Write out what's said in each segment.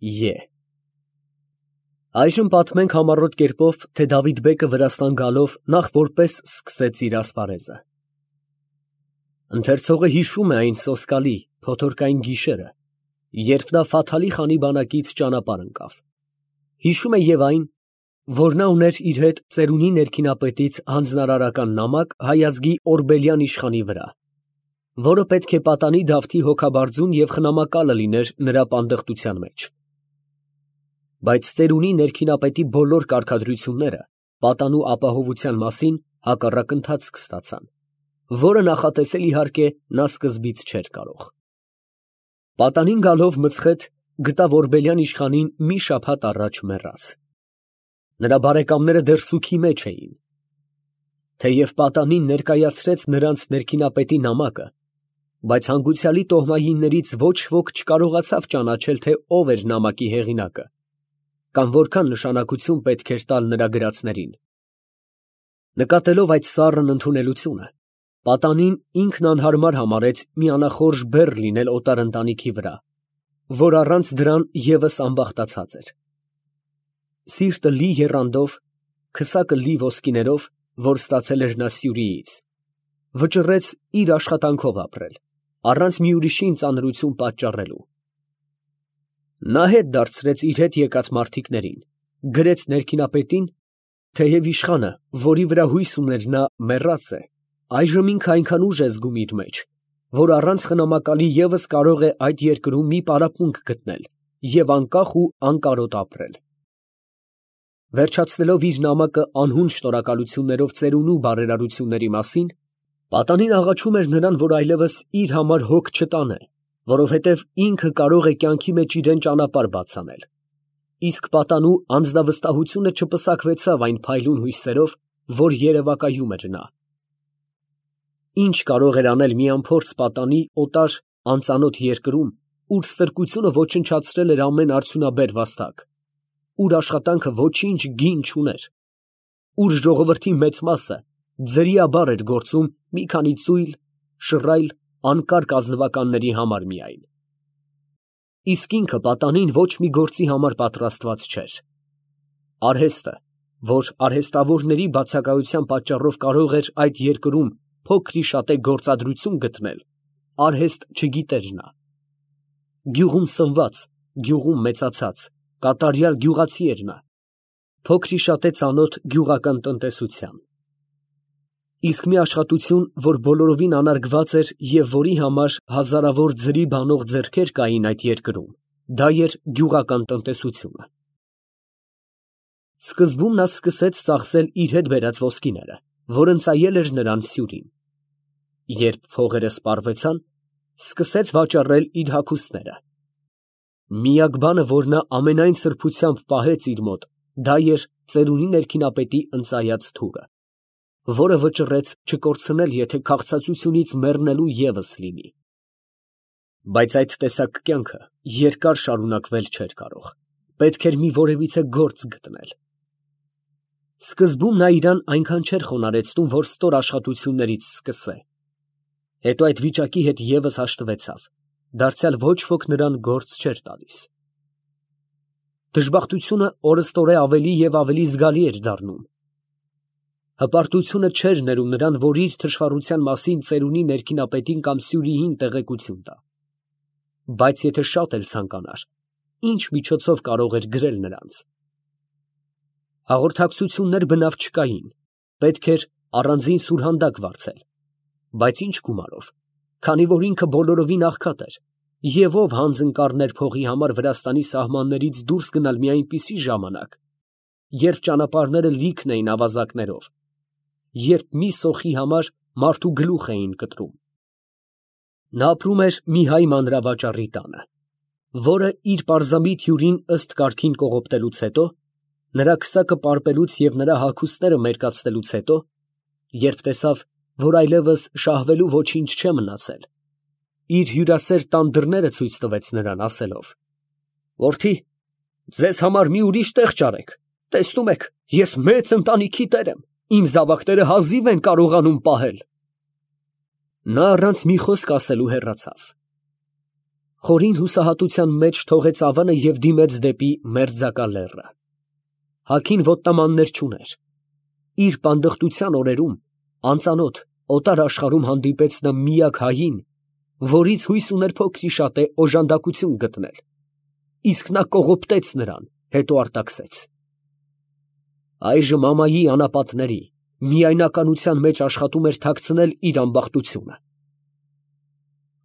Ե Այժմ պատմենք համառոտ կերպով, թե Դավիթ բեկը Վրաստան գալով նախ որպես սկսեց իր ասպարեզը։ Ընթերցողը հիշում է այն սոսկալի, փոթորկային գիշերը, երբ նա Ֆաթալի խանի բանակից ճանապարհ ընկավ։ Հիշում է և այն, որ նա ուներ իր հետ ծերունի ներքինապետից հանձնարարական նամակ հայ ազգի Օրբելյան իշխանի վրա, որը պետք է պատանի Դավթի հոգաբարձուն և խնամակալը լիներ նրա պանդխտության մեջ։ Բայց ծերունի ներքինապետի բոլոր կարգադրությունները պատանու ապահովության մասին հակառակ ընթացք ստացան, որը նախատեսել իհարկե նա սկզբից չէր կարող։ Պատանին գալով Մցխեթ գտավ Օրբելյան իշխանին մի շաբաթ առաջ մեռած։ Նրա բարեկամները դեռ սուգի մեջ էին։ Թեև պատանին ներկայացրեց նրանց ներքինապետի նամակը, բայց հանգուցյալի տոհմայիններից ոչ ոք չկարողացավ ճանաչել, թե ով էր նամակի հեղինակը, կամ որքան նշանակություն պետք էր տալ նրա գրածներին։ Նկատելով այդ սառն ընդունելությունը, պատանին ինքն անհարմար համարեց մի անախորժ բեռ լինել օտար ընտանիքի վրա, որ առանց դրան ևս անբախտացած էր։ Սիրտը լի եռանդով, քսակը լի ոսկիներով, որ ստացել էր նա Սյուրիից, վճռեց իր աշխատանքով ապրել, առանց մի ուրիշին ծանրություն պատճառելու։ Նա հետ դարձրեց իր հետ եկած մարդիկներին, գրեց ներքինապետին, թեև իշխանը, որի վրա հույս ուներ նա, մեռած է, այժմ ինքը այնքան ուժ է զգում իր մեջ, որ առանց խնամակալի ևս կարող է այդ երկրում մի պարապմունք գտնել և անկախ ու անկարոտ ապրել։ Վերջացնելով իր նամակը անհուն շնորհակալություններով ծերունու բարերարությունների մասին, պատանին աղաչում էր նրան, որ այլևս իր համար հոգ չտանե, որովհետև ինքը կարող է կյանքի մեջ իրեն ճանապարհ բաց անել։ Իսկ պատանու անձնավստահությունը չպսակվեցավ այն փայլուն հույսերով, որ երևակայում էր նա։ Ինչ կարող էր անել մի անփորձ պատանի օտար անծանոթ երկրում, ուր ստրկությունը ոչնչացրել էր ամեն արդյունաբեր վաստակ, ուր աշխատանքը ոչինչ գին չուներ, ուր ժողովրդի մեծ մասը ձրիաբար էր գործում մի քանի ծույլ, շռայլ, անկարգ ազնվականների համար միայն։ Իսկ ինքը պատանին ոչ մի գործի համար պատրաստված չէր։ Արհեստը, որ արհեստավորների բացակայության պատճառով կարող էր այդ երկրում փոքրիշատե գործադրություն գտնել, արհեստ չգիտեր նա։ Գյուղում սնված, գյուղում մեծացած, կատարյալ գյուղացի էր նա, փոքրիշատե ծանոթ գյուղական տնտեսության։ Իսկ մի աշխատություն, որ բոլորովին անարգված էր և որի համար հազարավոր ձրի բանող ձեռքեր կային այդ երկրում, դա էր գյուղական տնտեսությունը։ Սկզբում նա սկսեց ծախսել իր հետ բերած ոսկիները, որ ընծայել էր նրան Սյուրին։ Երբ փողերը սպառվեցան, սկսեց վաճառել իր հագուստները։ Միակ բանը, որ նա ամենայն սրբությամբ պահեց իր մոտ, դա էր ծերունի ներքինապետի ընծայած թուրը, որը վճռեց չկորցնել, եթե քաղցածությունից մեռնելու ևս լինի։ Բայց այդ տեսակ կյանքը երկար շարունակվել չէր կարող, պետք էր մի որևիցե գործ գտնել։ Սկզբում նա իրան այնքան չէր խոնարհեցնում, որ ստոր աշխատություններից սկսե։ Հետո այդ վիճակի հետ ևս հաշտվեցավ, դարձյալ ոչ ոք նրան գործ չէր տալիս։ Դժբախտությունը օրըստօրե ավելի և ավելի զգալի էր դառնում։ Հպարտությունը չէր ներում նրան, որ իր թշվառության մասին ծերունի ներքինապետին կամ Սյուրիին տեղեկություն տա։ Բայց եթե շատ էլ ցանկանար, ինչ միջոցով կարող էր գրել նրանց։ Հաղորդակցություններ բնավ չկային, պետք էր առանձին սուրհանդակ վարձել, բայց ինչ գումարով, քանի որ ինքը բոլորովին աղքատ էր, և ով հանձն կառներ փողի համար Վրաստանի սահմաններից դուրս գնալ մի այնպիսի ժամանակ, երբ ճանապարհները լիքն էին ավազակներով, երբ մի սոխի համար մարդու գլուխ էին կտրում։ Նա ապրում էր մի հայ մանրավաճառի տանը, որը իր պարզամիտ հյուրին ըստ կարգին կողոպտելուց հետո, նրա քսակը պարպելուց և նրա հագուստները մերկացնելուց հետո, երբ տեսավ, որ այլևս շահվելու ոչինչ չէ մնացել, իր հյուրասեր տան դռները ցույց տվեց նրան, ասելով. «Որդի, ձեզ համար մի ուրիշ տեղ ճարեք, տեսնում եք, ես մեծ ընտանիքի տեր եմ, իմ զավակները հազիվ են կարողանում պահել»։ Նա առանց մի խոսք ասելու հեռացավ։ Խորին հուսահատության մեջ թողեց ավանը և դիմեց դեպի մերձակա լեռը։ Հագին ոտնամաններ չուներ։ Իր պանդխտության օրերում անծանոթ օտար աշխարհում հանդիպեց նա միակ հային, որից հույս ուներ փոքր-ի-շատե օժանդակություն գտնել, իսկ նա կողոպտեց նրան, հետո արտաքսեց։ Այժմ ամայի անապատների միայնականության մեջ աշխատում էր թաքցնել իր ամբախտությունը։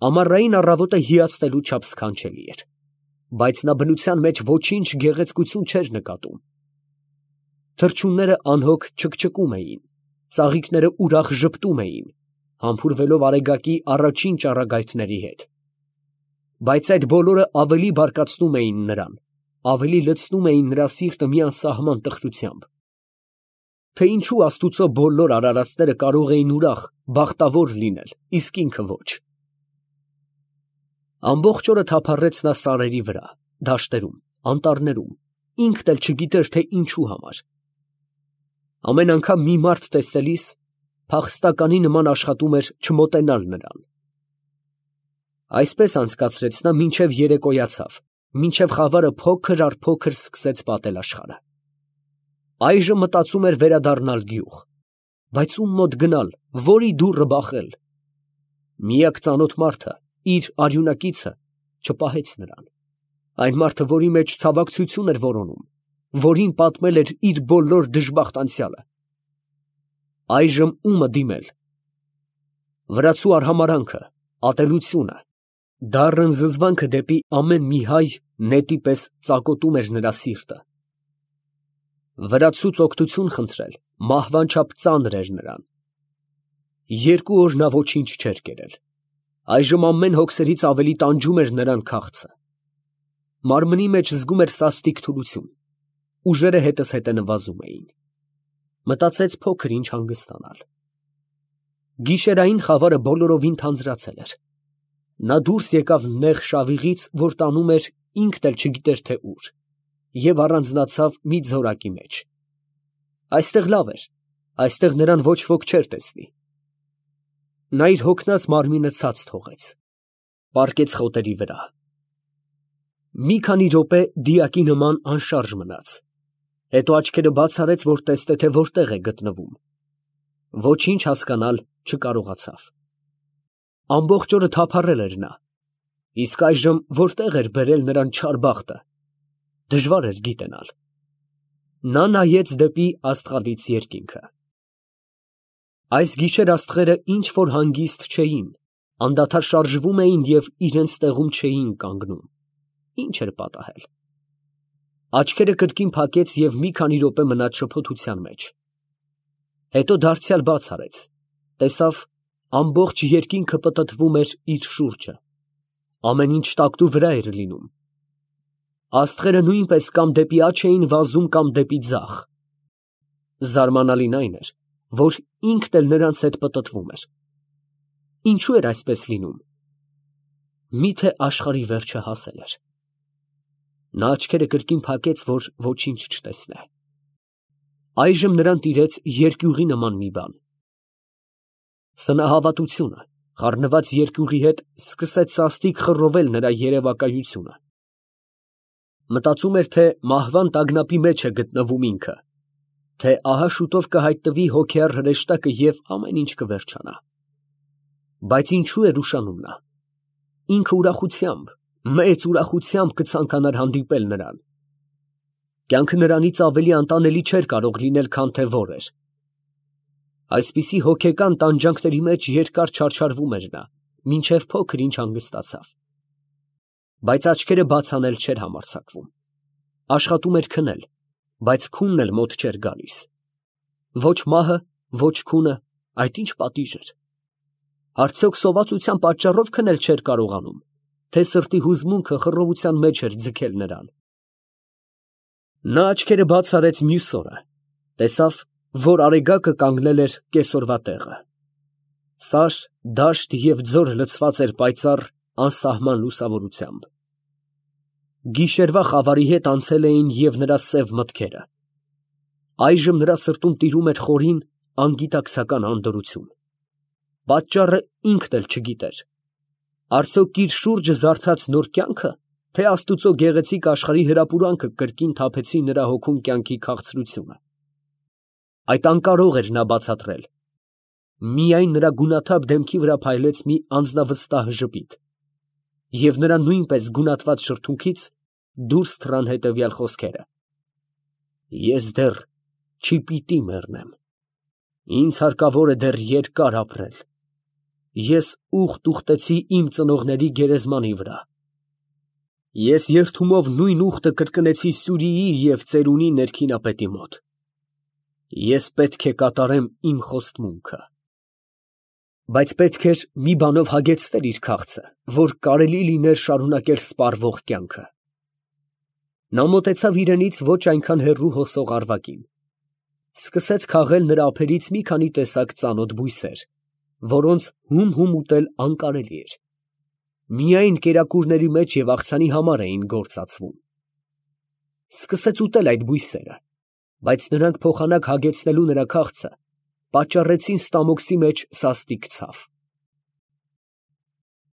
Ամառային առավոտը հիացնելու չափ սքանչելի էր, բայց նա բնության մեջ ոչինչ գեղեցկություն չէր նկատում։ Թռչունները անհոգ չկչկում էին, ծաղիկները ուրախ ժպտում էին, համբուրվելով արեգակի առաջին ճառագայթների հետ։ Բայց այդ բոլորը ավելի բարկացնում էին նրան, ավելի լցնում էին նրա սիրտը մի անսահման տխրությամբ։ Թե ինչու Աստուծո բոլոր արարածները կարող էին ուրախ, բախտավոր լինել, իսկ ինքը ոչ։ Ամբողջ օրը թափառեց նա սարերի վրա, դաշտերում, անտառներում, ինքն էլ չգիտեր, թե ինչու համար։ Ամեն անգամ մի մարդ տեսնելիս փախստականի նման աշխատում էր չմոտենալ նրան։ Այսպես անցկացրեց նա մինչև երեկոյացավ, մինչև խավարը փոքր առ փոքր սկսեց պատել աշխարհը։ Այժմ մտածում էր վերադառնալ գյուղ, բայց ում մոտ գնալ, որի դուռը բախել։ Միակ ծանոթ մարդը, իր արյունակիցը, չպահեց նրան։ Այն մարդը, որի մեջ ցավակցություն էր որոնում, որին պատմել էր իր բոլոր դժբախտ անցյալը։ Այժմ ումը դիմել։ Վրացու արհամարհանքը, ատելությունը, դառն զզվանքը դեպի ամեն մի հայ նետի պես ծակոտում էր նրա սիրտը։ Վրացուց օգնություն խնդրել մահվան չափ ծանր էր նրան։ 2 օր նա ոչինչ չէր կերել։ Այժմ ամեն հոգսերից ավելի տանջում էր նրան քաղցը։ Մարմնի մեջ զգում էր սաստիկ թուլություն, ուժերը հետզհետե նվազում էին։ Մտածեց փոքր ինչ հանգստանալ։ Գիշերային խավարը բոլորովին թանձրացել էր։ Նա դուրս եկավ նեղ շավիղից, որ տանում էր ինքն էլ չգիտեր թե ուր, և առանձնացավ մի ձորակի մեջ։ Այստեղ լավ էր, այստեղ նրան ոչ ոք չէր տեսնի։ Նա իր հոգնած մարմինը ցած թողեց, պառկեց խոտերի վրա։ Մի քանի րոպե դիակի նման անշարժ մնաց, հետո աչքերը բաց արեց, որ տեսնե, թե որտեղ է գտնվում։ Ոչինչ հասկանալ չկարողացավ։ Ամբողջ օրը թափառել էր նա, իսկ այժմ որտեղ էր բերել նրան չար բախտը, դժվար էր գիտենալ։ Նա նայեց դեպի աստղալից երկինքը։ Այս գիշեր աստղերը ինչ որ հանգիստ չէին, անդադար շարժվում էին և իրենց տեղում չէին կանգնում։ Ինչ էր պատահել։ Աչքերը կրկին փակեց և մի քանի րոպե մնաց շփոթության մեջ։ Հետո դարձյալ բաց արեց, տեսավ ամբողջ երկինքը պտտվում էր իր շուրջը, ամեն ինչ տակտու վրա էր լինում։ Աստղերը նույնպես կամ դեպի աջ էին վազում, կամ դեպի ձախ։ Զարմանալին այն էր, որ ինքն էլ նրանց հետ պտտվում էր։ Ինչու էր այսպես լինում։ Միթե աշխարհի վերջը հասել էր։ Նա աչքերը կրկին փակեց, որ ոչինչ չտեսնե։ Այժմ նրան տիրեց երկյուղի նման մի բան։ Սնահավատությունը խառնված երկյուղի հետ սկսեց սաստիկ խռովել նրա երևակայությունը։ Մտածում էր, թե մահվան տագնապի մեջ է գտնվում ինքը, թե ահա շուտով կհայտնվի հոգեառ հրեշտակը և ամեն ինչ կվերջանա։ Բայց ինչու էր ուշանում նա։ Ինքը ուրախությամբ, մեծ ուրախությամբ կցանկանար հանդիպել նրան։ Կյանքը նրանից ավելի անտանելի չէր կարող լինել, քան թե որ էր։ Այսպիսի հոգեկան տանջանքների մեջ երկար չարչարվում էր նա, մինչև փոքր ինչ հանգստացավ։ Բայց աչքերը բաց անել չէր համարձակվում։ Աշխատում էր քնել, բայց քունն էլ մոտ չէր գալիս։ Ոչ մահը, ոչ քունը, այդ ինչ պատիժ էր։ Արդյոք սովածության պատճառով քնել չէր կարողանում, թե սրտի հուզմունքը խռովության մեջ էր ձգել նրան։ Նա աչքերը բաց արեց մյուս օրը, տեսավ, որ արեգակը կանգնել էր կեսօրվա տեղը։ Սար, դաշտ և ձոր լցված էր պայծառ, անսահման լուսավորությամբ։ Գիշերվա խավարի հետ անցել էին և նրա սև մտքերը։ Այժմ նրա սրտում տիրում էր խորին, անգիտակցական անդորրություն։ Պատճառը ինքն էլ չգիտեր։ Արդյոք իր շուրջը զարթած նոր կյանքը, թե Աստուծո գեղեցիկ աշխարհի հրապուրանքը կրկին թափեցին նրա հոգում կյանքի քաղցրությունը։ Այդ անկարող էր նա բացատրել։ Միայն նրա գունաթափ դեմքի վրա փայլեց մի անձնավստահ ժպիտ, և նրա նույնպես գունատված շրթունքից դուրս թռան հետևյալ խոսքերը. «Ես դեռ չպիտի մեռնեմ, ինձ հարկավոր է դեռ երկար ապրել, ես ուխտ ուխտեցի իմ ծնողների գերեզմանի վրա, ես երդումով նույն ուխտը կրկնեցի Սյուրիի և ծերունի ներքինապետի մոտ, ես պետք է կատարեմ իմ խոստմունքը»։ Բայց պետք էր մի բանով հագեցնել իր քաղցը, որ կարելի լիներ շարունակել սպառվող կյանքը։ Նա մոտեցավ իրենից ոչ այնքան հեռու հոսող առվակին, սկսեց քաղել նրա ափերից մի քանի տեսակ ծանոթ բույսեր, որոնց հում ուտել անկարելի էր, միայն կերակուրների մեջ և աղցանի համար էին գործածվում։ Սկսեց ուտել այդ բույսերը, բայց նրանք փոխանակ հագեցնելու նրա քաղցը պատճառեցին ստամոքսի մեջ սաստիկ ցավ։